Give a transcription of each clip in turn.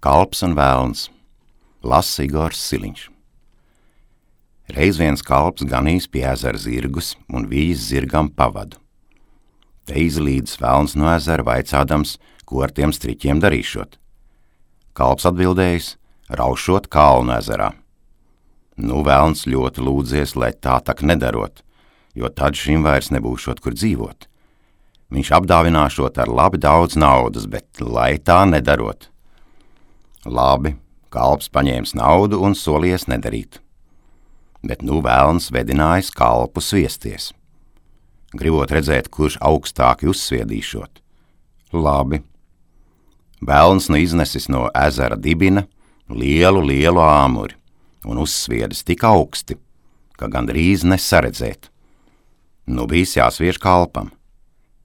Kalps un velns. Lasa Igors Siliņš. Reiz viens kalps ganījis pie ezera zirgus un vījis zirgam pavadu. Te izlīdis velns no ezera vaicādams, ko ar tiem striķiem darīšot. Kalps atbildējis, raušot kalnu ezerā. Nu, velns ļoti lūdzies, lai tā tak nedarot, jo tad šim vairs nebūšot, kur dzīvot. Viņš apdāvināšot ar labi daudz naudas, bet lai tā nedarot. Labi, kalps paņēmis naudu un solies nedarīt. Bet nu velns vedinājis kalpu sviesties. Gribot redzēt, kurš augstāki uzsviedīšot. Labi. Velns nu iznesis no ezera dibina lielu āmuri un uzsviedis tik augsti, ka gandrīz nesaredzēt. Nu bijis jāsviež kalpam,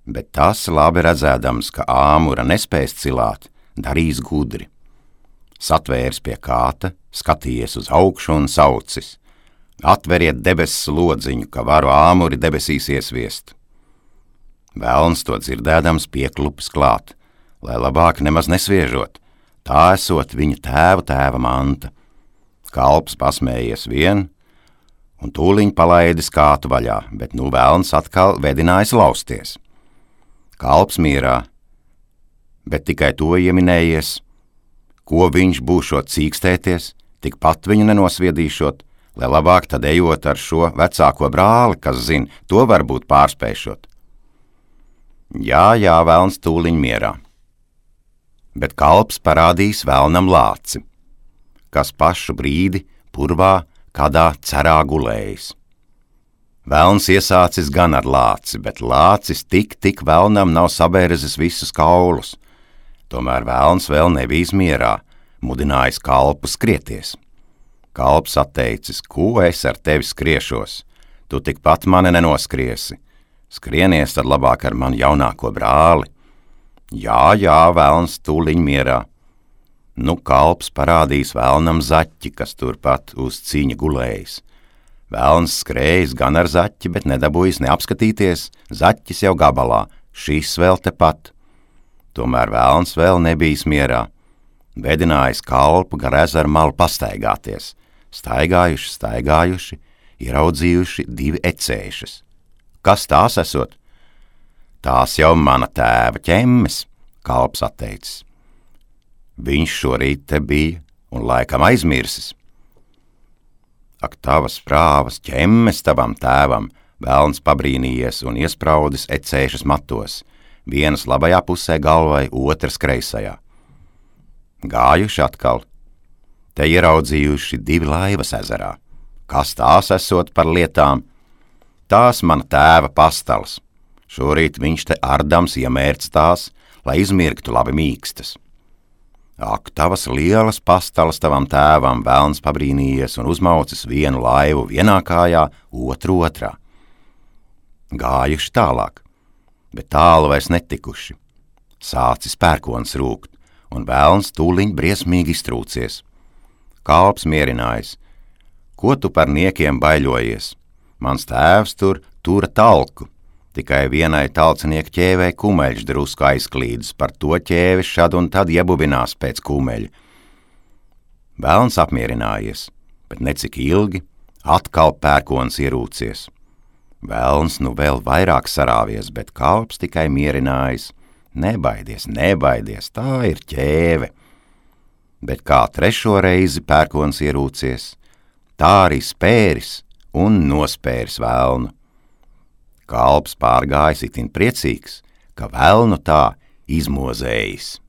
bet tas labi redzēdams, ka āmura nespēs cilāt, darīs gudri. Satvērs pie kāta, skatījies uz augšu un saucis. Atveriet debesis lodziņu, ka varu āmuri debesīs iesviest. Velns to dzirdēdams pieklupis klāt, lai labāk nemaz nesviežot, tā esot viņa tēva manta. Kalps pasmējies vien un tūliņ palaidis kātu vaļā, bet nu velns atkal vedinājis lausties. Kalps mierā, bet tikai to ieminējies, ko viņš būšot cīkstēties, tikpat viņu nenosviedīšot, lai labāk tad ejot ar šo vecāko brāli, kas zin, to varbūt pārspēšot. Jā, velns tūliņ mierā. Bet kalps parādīs velnam lāci, kas pašu brīdi purvā kādā cerā gulējis. Velns iesācis gan ar lāci, bet lācis tik velnam nav sabērzis visus kaulus. Tomēr velns vēl nebijis mierā, mudinājis kalpu skrieties. Kalps atteicis, ko es ar tevi skriešos, tu tikpat mani nenoskriesi, skrienies tad labāk ar manu jaunāko brāli. Jā, velns tūliņ mierā. Nu kalps parādīs velnam zaķi, kas turpat uz cīņa gulējis. Velns skrējis gan ar zaķi, bet nedabūjis neapskatīties, zaķis jau gabalā, šis vēl tepat. Tomēr velns vēl nebijis mierā, vedinājis kalpu gar ezeru malu pastaigāties, staigājuši, ieraudzījuši 2 ecēšas. Kas tās esot? Tās jau mana tēva ķemmes, kalps atteicis. Viņš šorīt te bija un laikam aizmirsis. Ak, tavas prāvas ķemmes tavam tēvam, velns pabrīnījies un iespraudis ecēšas matos, vienas labajā pusē galvai, otras kreisajā. Gājuši atkal, te ieraudzījuši 2 laivas ezerā. Kas tās esot par lietām? Tās mana tēva pastalas. Šorīt viņš te ardams iemērts tās, lai izmirktu labi mīkstas. Ak, tavas lielas pastalas tavam tēvam, velns pabrīnījies un uzmaucis vienu laivu vienā kājā, otru otrā. Gājuši tālāk, bet tālu vairs netikuši. Sācis pērkons rūkt, un velns tūliņ briesmīgi iztrūcies. Kalps mierinājis. Ko tu par niekiem baiļojies? Mans tēvs tur tura talku, tikai vienai talcinieku ķēvei kumeļš drusku aizklīdus, par to ķēvis šad un tad iebubinās pēc kumeļa. Velns apmierinājies, bet necik ilgi atkal pērkons ierūcies. Velns nu vēl vairāk sarāvies, bet kalps tikai mierinājis. Nebaidies, tā ir ķēve. Bet kā 3. reizi pērkons ierūcies, tā arī spēris un nospēris velnu. Kalps pārgājis itin priecīgs, ka velnu tā izmozējis.